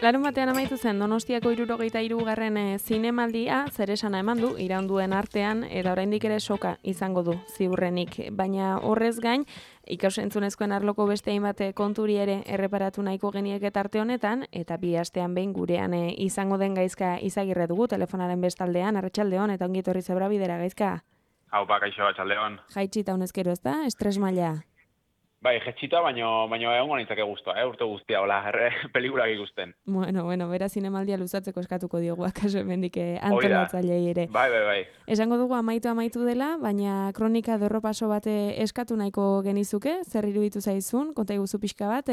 Larun batean amaitu zen Donostiako 73. Zinemaldia zeresana eman du iraunduen artean eta oraindik ere soka izango du ziurrenik, baina horrez gain ikasentzunezkoen arloko beste hainbat konturi ere erreparatu nahiko genieke tarte honetan eta bi astean behin gurean izango den Gaizka Izagirre dugu telefonaren bestaldean. Arratsaldeon eta ongi etorri Zebrabidera, Gaizka. Haupa, kaixo, arratsaldeon. Jaitsita honezkero, ezta? Estres maila. Bai, jetxita, baino egongo nintzake guztua, urte guztia, hola, pelikulak ikusten. Bueno, bera zinemaldia luzatzeko eskatuko diogu, akaso hemendik antolatzailei ere. Bai. Esango dugu amaitu dela, baina kronika dorropaso bat eskatu nahiko genizuke, zer iruditu zaizun, konta iguzu pixka bat,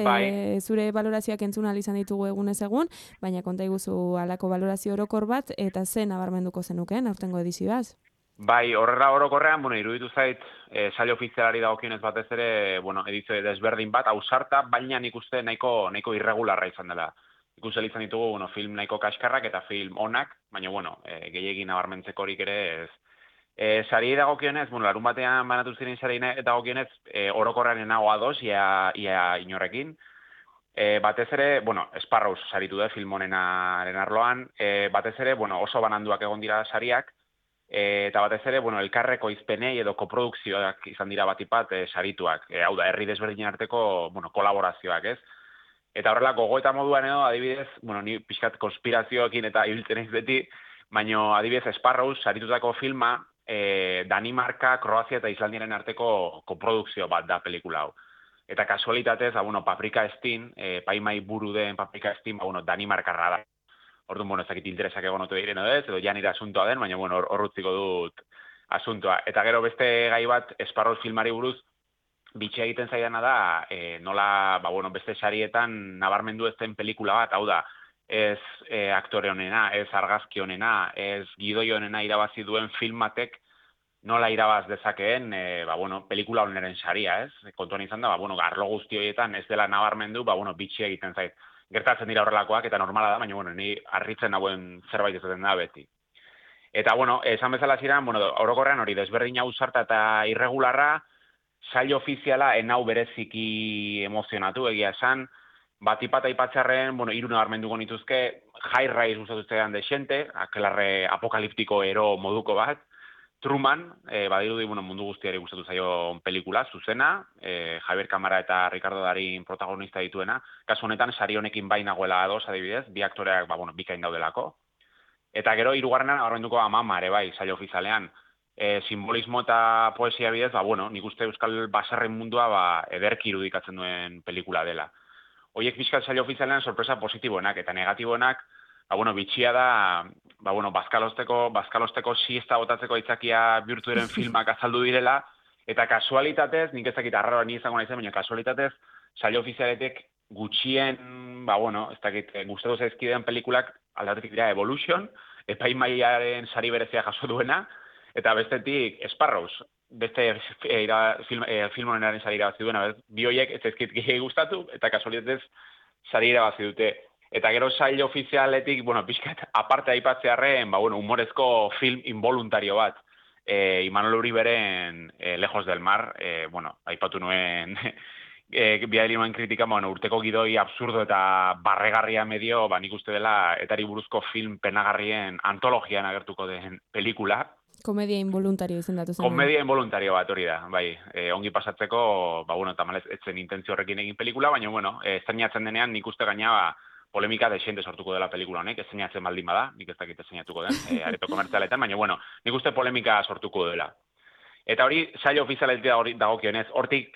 zure valorazioak entzun ahal izan ditugu egunez egun, baina konta iguzu halako valorazio orokor bat, eta zen nabarmenduko zenuken, aurtengo edizioaz. Bai, horrela orokorrean, iruditu zait, sail ofizialari dagokionez batez ere, edizio desberdin bat, ausarta, baina nik uste nahiko irregularra izan dela. Ikusten izan ditugu, film nahiko kaskarrak eta film onak, baina, gehiegi nabarmentzeko horik ere ez. Sari dagokionez, larun batean banatu ziren sari dagokionez, orokorrean nago ados, ia inorrekin. Batez ere, Sparrows saritu da film honenaren arloan, batez ere, oso bananduak egon dira sariak, eta batez ere, elkarreko izpenei edo koprodukzioak izan dira batipat sarituak. Hau da, herri desberdinen arteko kolaborazioak, ez? Eta horrela, gogoeta moduan edo, adibidez, ni pixkat konspirazioekin eta ibiltzen ez beti, baina adibidez Sparrows saritutako filma, Danimarka, Kroazia eta Islandiaren arteko koprodukzio bat da pelikula hau. Eta kasualitatez, Paprika Estin, paimai buru den Paprika Estin, Danimarkarra da. Orduan, ez dakit interesak egon otu diren edo janira asuntoa den, baina hor utziko dut asuntoa. Eta gero beste gai bat, Sparrows filmari buruz, bitxia egiten zaidana da, nola, beste sarietan nabarmendu ez den pelikula bat, hau da, ez aktore honena, ez argazki honena, ez gidoi honena irabazi duen filmatek nola irabaz dezakeen, pelikula honeren saria, ez? Kontuan izan da, arlo guzti horietan ez dela nabarmendu, bitxia egiten zait. Gertatzen dira horrelakoak eta normala da, baina ni harritzen nagoen zerbait ezaten da beti. Eta, esan bezala ziren, orokorrean hori desberdin ausarta eta irregularra, sail ofiziala enau bereziki emozionatu, egia esan, batipat aipatzearren, hiru nabarmenduko nituzke, High Rise gustatuzean desente, akelarre apokaliptiko ero moduko bat, Truman, badirudi mundu guztiari gustatu zaio pelikula, zuzena, Javier Kamara eta Ricardo Darín protagonista dituena, kasu honetan sari honekin bai nagoela ados, adibidez, bi aktoreak bikain daudelako. Eta gero hirugarrenan nabarmenduko Mama ere bai, sail ofizialean, simbolismo eta poesia bidez, nik uste euskal baserren mundua ederki irudikatzen duen pelikula dela. Horiek bizkat sail ofizialean sorpresa positiboenak eta negatiboenak, bitxia da, bazkalosteko siesta botatzeko aitzakia bihurtu diren filmak azaldu direla, eta kasualitatez, nik ezakit arraroa ni izango naizen, baina kasualitatez, sail ofizialetek gutxien, ez dakit, gustatu zaizkideen pelikulak aldatetik dira Evolution, epaimaiaren sari berezia jaso duena, eta bestetik Sparrows, beste film honenaren sari irabazi duena, bi horiek ez zaizkit gehiagik gustatu, eta kasualitatez sari irabazi dute. Eta gero sail ofizialetik, pixkat, aparte aipatzearren, humorezko film involuntario bat, Imanol Uriberen Lejos del Mar, aipatu nuen, bidali nuen kritika, urteko gidoi absurdo eta barregarria medio, nik uste dela, etari buruzko film penagarrien antologian agertuko den pelikula. Komedia involuntario izendatu zen. Komedia involuntario bat hori da, bai. Ongi pasatzeko, tamalez, etzen intentzio horrekin egin pelikula, baina, estrenatzen denean nik uste gaina, polemika desente sortuko dela pelikula honek, estrenatzen baldin bada, nik ez dakit estrenatuko den, areto komertzialetan, baina, nik uste polemika sortuko dela. Eta hori, sail ofizialetik dagokionez, hortik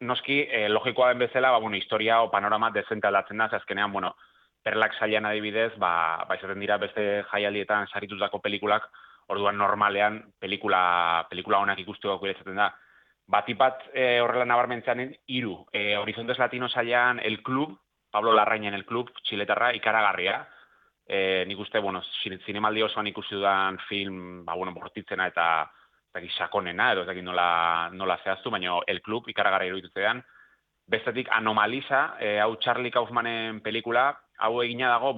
noski, logikoa den bezala, historia o panorama dezente aldatzen da, azkenean, perlak sailan adibidez, izaten dira beste jaialdietan saritutako pelikulak, orduan normalean pelikula honak ikusteko gure izaten da. Batipat horrela nabarmentzean hiru, Horizontes Latino sailan El Club, Pablo Larrainen El Club, txiletarra, ikaragarria. Nik uste, zinemaldi osoan ikusi dudan film, bortitzena eta sakonena, edo ez dakit nola zehaztu, baina El Club, ikaragarria iruditzean. Bestetik, Anomalisa, hau Charlie Kaufmanen pelikula, hau egina dago,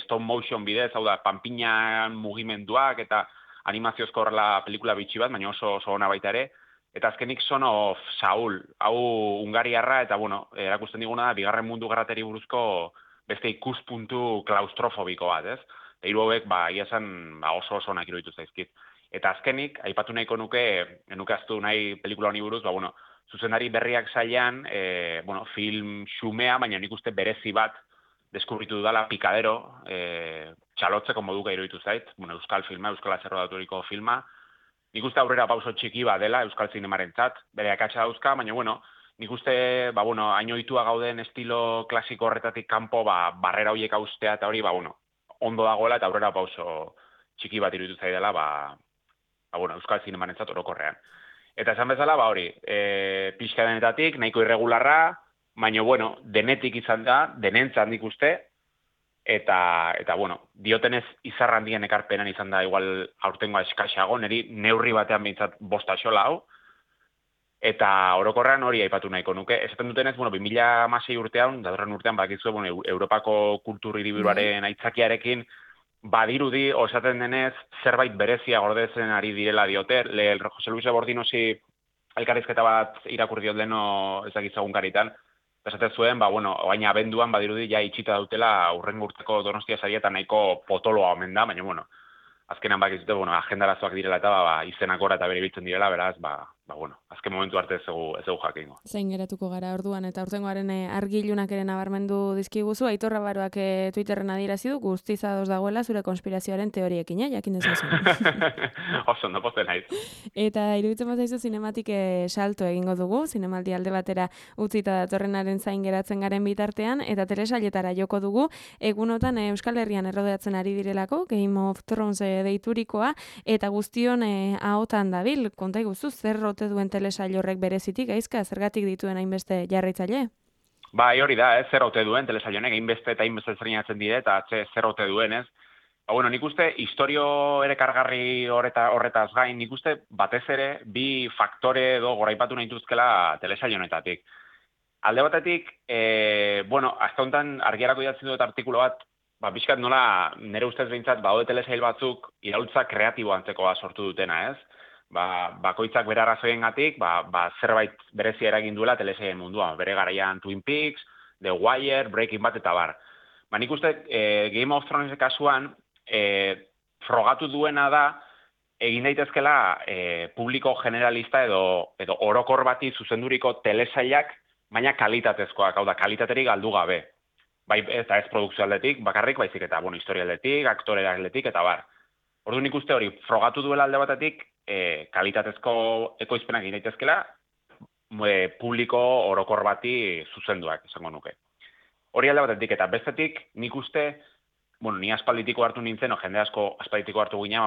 stop motion bidez, hau da, panpinan mugimenduak eta animaziozko horrela pelikula bitxi bat, baina oso ona baita ere. Eta azkenik Son of Saul, hau Hungariarra, eta erakusten diguna da, bigarren mundu gerrateri buruzko beste ikuspuntu klaustrofobiko bat, ez? Eta hiru hauek, ia esan, oso onak iruditu zaizkit. Eta azkenik, aipatu nahiko nuke aztu nahi pelikula honi buruz, zuzendari berriak sailean, film xumea, baina nik uste berezi bat deskubritu dudala Pikadero, txalotzeko moduka iruditu zait, euskal filma, euskal azerrodaturiko filma, nik uste aurrera pauso txiki bat dela euskal zinemarentzat, bere akatsa dauzka, baina nik uste, hain ohitua gauden estilo klasiko horretatik kanpo, barrera horiek austea eta hori, ondo dagoela eta aurrera pauso txiki bat iruditu zaidala, euskal zinemarentzat orokorrean. Eta esan bezala, hori, pixka denetatik, nahiko irregularra, baina, denetik izan da, denentzat nik uste, eta diotenez izarra handien ekarpenan izan da, igual aurtengoa eskaxago, niri neurri batean behintzat bosta xola hau, eta orokorrean hori aipatu nahiko nuke. Esaten dutenez, 2016 urtean, datorren urtean, bakizue, Europako kultur hiriburuaren aitzakiarekin, badirudi, osaten denez, zerbait berezia gordetzen ari direla diote. Jose Luis Bordinosi elkarrizketa bat irakurri diot leno ezagitzagun karitan, esaten zuen, oain abenduan badirudi ja itxita dautela urrengo urteko Donostia saria eta nahiko potoloa omen da, baina, azkenan bakizute, agendarazoak direla eta izenak gora eta bere biltzen direla, beraz, azken momentu arte ez dugu jakingo. Zein geratuko gara orduan, eta urtengoaren argilunak ere nabarmendu dizkiguzu, Aitor Rabaroak Twitterren adierazi du, guztiz ados dagoela zure konspirazioaren teoriekin, jakin dezazu. Oso, no posten naiz. Eta iruditzen bat zaizu zinematik salto egingo dugu, zinemaldi alde batera utzita datorrenaren zain geratzen garen bitartean, eta telesailetara joko dugu, egunotan Euskal Herrian errodeatzen ari direlako, Game of Thrones deiturikoa, eta guztion ahotan dabil, konta iguzu, zer rote duen telesail horrek berezitik, Aizka, zergatik dituen hainbeste jarraitzaile? Hori da, zer ote duen telesail honek, hainbeste eta hainbeste zerinatzen dire, eta zer ote duen, ez? Nik uste, historio ere kargarri horretaz gain, nik uste, batez ere, bi faktore edo goraipatu nahi duzkela telesail honetatik. Alde batetik, azta honetan argiarako idatzen dut artikulo bat, pixkat nola, nire ustez behintzat, badaude telesail batzuk, iraultza kreatibo antzekoa sortu dutena, ez? Bakoitzak bere arrazoiengatik, zerbait berezia eragin duela telesailen munduan. Bere garaian Twin Peaks, The Wire, Breaking Bad eta bar. Nik uste Game of Thrones kasuan frogatu duena da egin daitezkela publiko generalista edo orokor bati zuzenduriko telesailak, baina kalitatezkoak, hau da, kalitaterik galdu gabe. Eta ez produkzio aldetik, bakarrik, baizik eta historia aldetik, aktore aldetik eta bar. Orduan nik uste hori frogatu duela alde batetik, kalitatezko ekoizpenak egin daitezkela, publiko orokor bati zuzenduak, esango nuke. Hori alde batetik, eta bestetik, nik uste, ni aspalditiko hartu nintzen, jende asko aspalditiko hartu gina,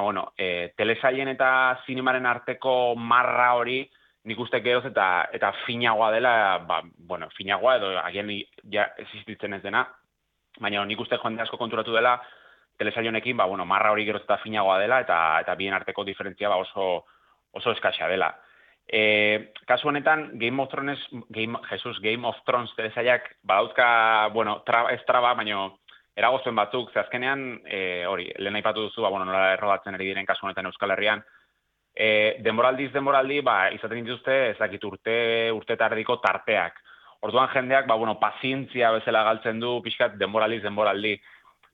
telesailen eta zinemaren arteko marra hori, nik uste geroz eta finagoa dela, finagoa edo agian ja existitzen ez dena, baina nik uste jende asko konturatu dela, telesail honekin, marra hori geroz eta finagoa dela, eta bien arteko diferentzia oso eskaxa dela. Kasu honetan, Game of Thrones telesailak badauzka, ez traba, baina eragozuen batzuk, ze azkenean, hori, lehen aipatu duzu, nola errodatzen ari diren kasu honetan Euskal Herrian, denboraldi, izaten dituzte, ezakit urte eta erdiko tarteak. Orduan jendeak, pazientzia bezala galtzen du, pixkat denboraldi.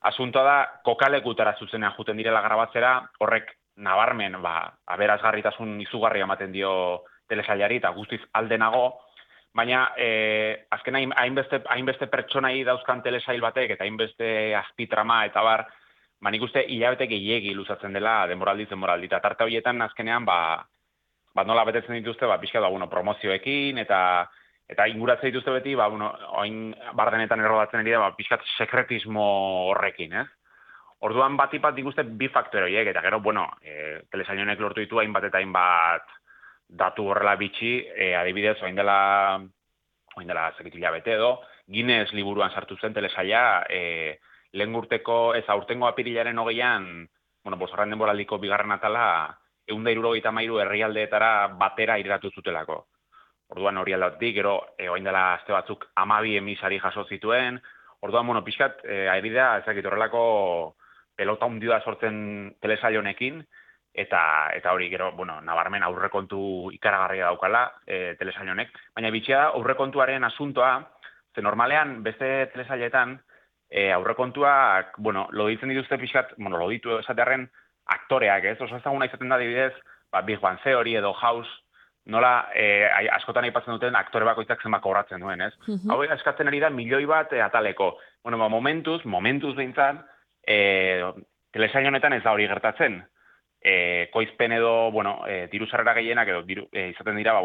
Asuntoa da, kokalekutara zuzenean juten direla grabatzera, horrek nabarmen, aberazgarritasun izugarria ematen dio telesailari eta guztiz aldenago, baina azken hainbeste pertsonai dauzkan telesail batek eta hainbeste azpitrama eta bar, nik uste hilabete gehiegi luzatzen dela denboraldi. Eta tarte horietan azkenean, nola betetzen dituzte, pixka promozioekin eta inguratzen dituzte beti, oin bardenetan errodatzen ari da, pixkat sekretismo horrekin, ez? Orduan batipat ikuste bi faktore horiek, eta gero, telesail honek lortu ditu hainbat eta hainbat datu horrela bitxi, adibidez, oin dela zekit hilabete edo, Guinness liburuan sartu zen telesaila, lehen urteko, ez aurtengo apirilaren 20an, bosgarren denboraldiko bigarren atala, 173 herrialdeetara batera irratu zutelako. Orduan hori aldatik, gero, oin dela azte batzuk 12 emisari jaso zituen, orduan, pixkat, aibidea, ezakit horrelako pelota hundia sortzen telesail honekin, eta hori, gero, nabarmen aurrekontu ikaragarria daukala telesail honek, baina bitxia aurrekontuaren asuntoa, ze normalean beste telesailetan, aurrekontuak, bueno, loditzen dituzte pixkat, bueno, loditu esatearen aktoreak, ez? Oso ezaguna izaten da adibidez, Big Bang Theory edo House, nola askotan aipatzen duten aktore bakoitzak zenbat kobratzen duen, ez? Hau eskatzen ari da milioi bat ataleko. Bueno, momentuz behintzat, telesail honetan ez da hori gertatzen. Koizpen edo, bueno, diru sarrera gehienak edo izaten dira,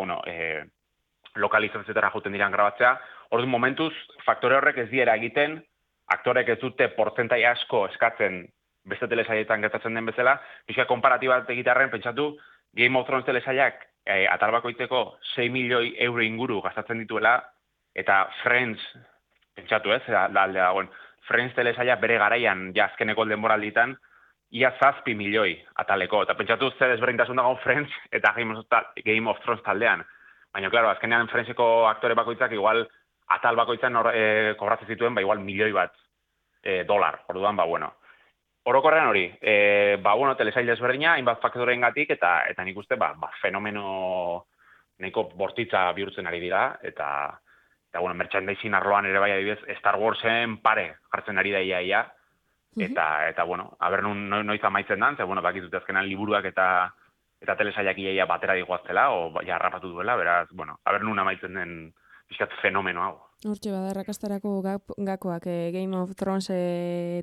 lokalizazioetara jouten diran grabatzea. Orduan momentuz, faktore horrek ez diera egiten, aktorek ez dute portzentai asko eskatzen beste telesailetan gertatzen den bezala, pixka konparatibat egitarren pentsatu, Game of Thrones telesailak atal bakoitzeko 6 milioi euro inguru gastatzen dituela, eta Friends, pentsatu ez, alde dagoen, Friends telesaila bere garaian azkeneko denboralditan, ia 7 milioi ataleko, eta pentsatu ze desberdintasun dago Friends eta Game of Thrones taldean. Baina, klaro, azkenean Friendseko aktore bakoitzak igual atal bakoitzan kobratzen zituen, igual milioi bat dolar, orduan, bueno. Orokorrean hori, telesail desberdina, hainbat faktoreen gatik, eta nik uste, fenomeno nahiko bortitza bihurtzen ari dira, eta merchandising arloan ere bai adibidez, Star Warsen pare jartzen ari da ia, eta aber noiz amaitzen dan, bakizut azkenan liburuak eta telesailak ia batera digoaztela, o harrapatu duela, beraz, aber nun amaitzen den pixkat fenomeno hau. Hortxe bada, rakastarako gakoak Game of Thrones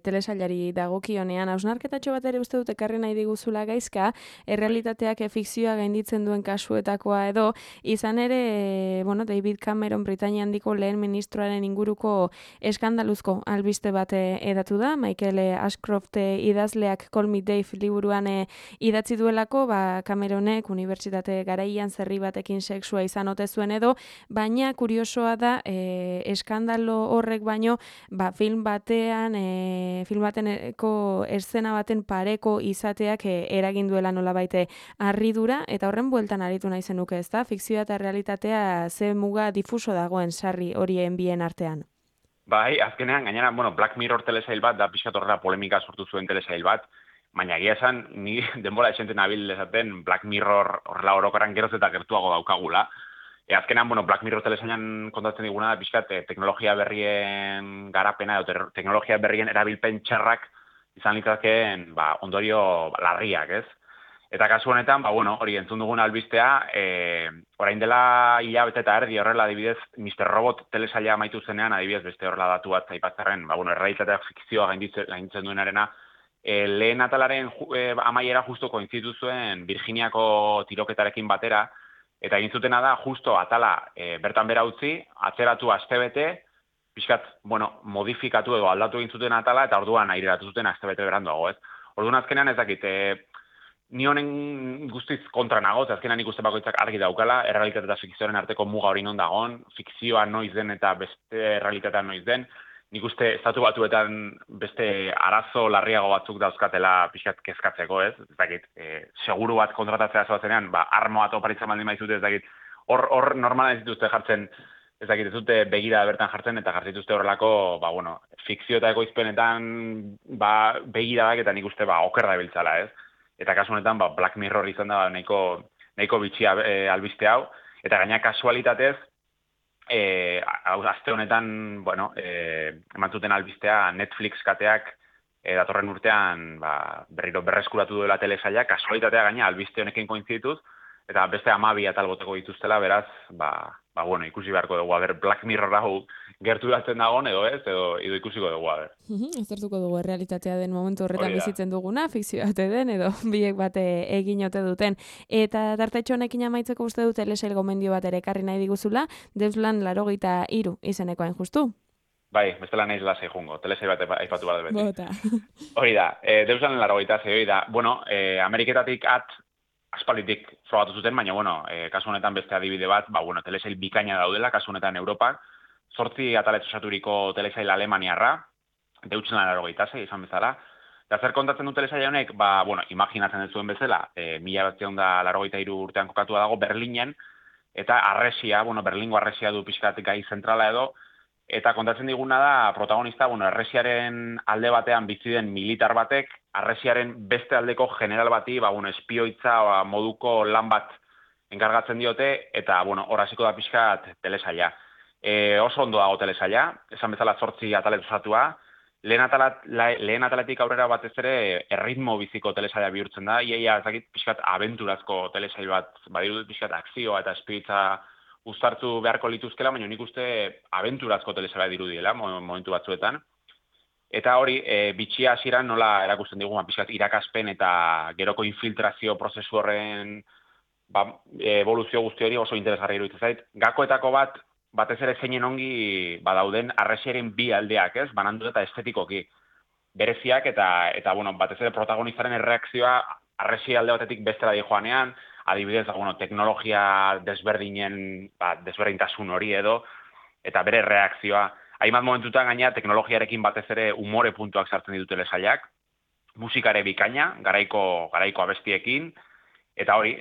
telesailari dagokionean. Hausnarketatxo bat ere uste dut ekarri nahi diguzula gaizka, errealitateak fikzioa gainditzen duen kasuetakoa edo, izan ere, David Cameron Britainia handiko lehen ministroaren inguruko eskandaluzko albiste bat edatu da, Michael Ashcroft idazleak Call Me Dave liburuan idatzi duelako, Cameronek unibertsitate garaian zerri batekin sexua izan ote zuen edo, baina kuriosoa da, eskandalo horrek baino, film bateneko eszena baten pareko izateak eragin duela nolabaite harridura, eta horren bueltan aritu nahi zenuke, ez da? Fikzioa eta realitatea ze muga difuso dagoen sarri horien bien artean. Bai, azkenean, gainera, Black Mirror telesail bat, da pixkat horrela polemika sortu zuen telesail bat, baina egia esan, ni denbora esenten abil esaten Black Mirror horrela orokorran geroz eta gertuago daukagula. Azkenean, Black Mirror telesailan kontatzen diguna da, pixkat, teknologia berrien garapena edo teknologia berrien erabilpen txarrak izan litzakeen ondorio larriak, ez? Eta kasu honetan, hori entzun dugun albistea, orain dela hilabete eta erdi horrela, adibidez, Mr. Robot telesaila amaitu zenean, adibidez, beste horrela datu bat zaipatzarren, errealitateak fikzioa gainditzen duenarena, lehen atalaren amaiera justo koinzitu zuen Virginiako tiroketarekin batera, eta egin zutena da, justo atala bertan bera utzi, atzeratu astebete, pixkat, modifikatu edo aldatu egin zuten atala, eta orduan aireratu zuten astebete beranduago, ez? Orduan azkenean ez dakit, ni honen guztiz kontra nago, azkenean ikuste bakoitzak argi daukala, errealitate eta fikzioaren arteko muga hori non dagoen, fikzioa noiz den eta beste errealitatea noiz den, nik uste estatu batuetan beste arazo larriago batzuk dauzkatela pixkat kezkatzeko, ez? Ez dakit, seguru bat kontratatzea zoazenean, armo bat oparitzen baldin maizute, ez dakit, hor normala ez dituzte jartzen, ez dakit, ez dute begira bertan jartzen, eta jartzen dituzte horrelako, fikzio eta ekoizpenetan begiradak eta nik uste oker da biltzala, ez? Eta kasu honetan, Black Mirror izan da nahiko bitxia albiste hau, eta gaina kasualitatez, aste honetan, eman zuten albistea Netflix kateak datorren urtean berriro berreskuratu duela telesaila, kasualitatea gaina albiste honekin koinzidituz, eta beste 12 atal boteko dituztela, beraz, ikusi beharko dugu, Black Mirror hau gertu datzen dagoen edo ez, edo ikusiko dugu, Aztertuko dugu realitatea den momentu horretan bizitzen duguna, fikzioa den, edo biek bate egin ote duten. Eta tartetxo honekin amaitzeko uste dut telesail gomendio bat ere ekarri nahi diguzula, Deuslan 83 izenekoa justu. Bai, bestela nahiz lasai jungo, telesail bat aipatu bat beti. Hori da, Deuslan 83 hori da, Ameriketatik aspalditik frogatu zuten, baina, kasu honetan beste adibide bat, telesail bikaina daudela, kasu honetan Europak, 8 ataletxo osaturiko telesail alemaniarra, Deutschland 86 izan bezala, eta zer kontatzen du telesail honek, imaginatzen ez zuen bezala, 1983 urtean kokatua dago Berlinen, eta arresia, Berlingo arresia du pixkatik gai zentrala edo, eta kontatzen diguna da, protagonista, arresiaren alde batean bizi den militar batek, arresiaren beste aldeko general bati, espioitza moduko lan bat enkargatzen diote, eta, hor hasiko da pixkat telesaila. Oso ondo dago telesaila, esan bezala 8 atalez osatua, lehen ataletik aurrera batez ere erritmo biziko telesaila bihurtzen da, iaia ezakit pixkat abenturazko telesail bat, badirudit pixkat akzioa eta espiritza uztartu beharko lituzkela, baina nik uste abenturazko telesaila dirudiela momentu batzuetan. Eta hori, bitxia hasieran nola erakusten digu, pixkat irakaspen eta geroko infiltrazio prozesu horren evoluzio guzti hori oso interesgarri iruditzen zait. Gakoetako batez ere zeinen ongi badauden arresiaren bi aldeak, ez? Banandu eta estetikoki bereziak eta bueno, batez ere protagonistaren erreakzioa arresi alde batetik bestera joanean, adibidez, teknologia desberdinen, desberdintasun hori edo, eta bere reakzioa. Hainbat momentutan gaina teknologiarekin batez ere umore puntuak sartzen ditu telesailak, musikare bikaina, garaiko abestiekin, eta hori,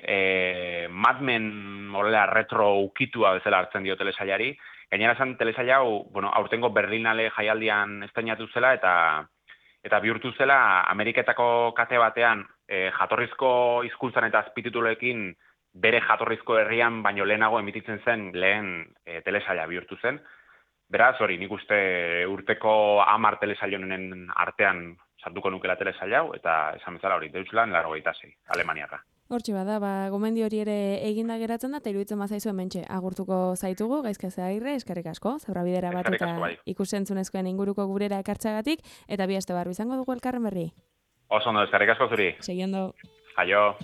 Mad Men horrela retro ukitua bezala hartzen dio telesailari. Gainera esan telesaila hau, aurtengo Berlinale jaialdian estreinatu zela eta bihurtu zela Ameriketako kate batean jatorrizko hizkuntzan eta azpitituloekin bere jatorrizko herrian baino lehenago emititzen zen lehen telesaila bihurtu zen. Beraz, hori, nik uste urteko 10 telesailonen artean sartuko nukela telesaila hau, eta esan bezala hori, Deutschland 86, Alemaniarra. Hortxe bada, gomendi hori ere eginda geratzen da, eta iruditzen bazaizu hementxe agurtuko zaitugu, Gaizka Zeagirre, eskerrik asko, Zebrabidera bat eta ikusentzunezkoen inguruko gurera ekartxagatik, eta bi aste barru izango dugu elkarren berri. Oso ondo, eskerrik asko zuri. Seguindo. Aio.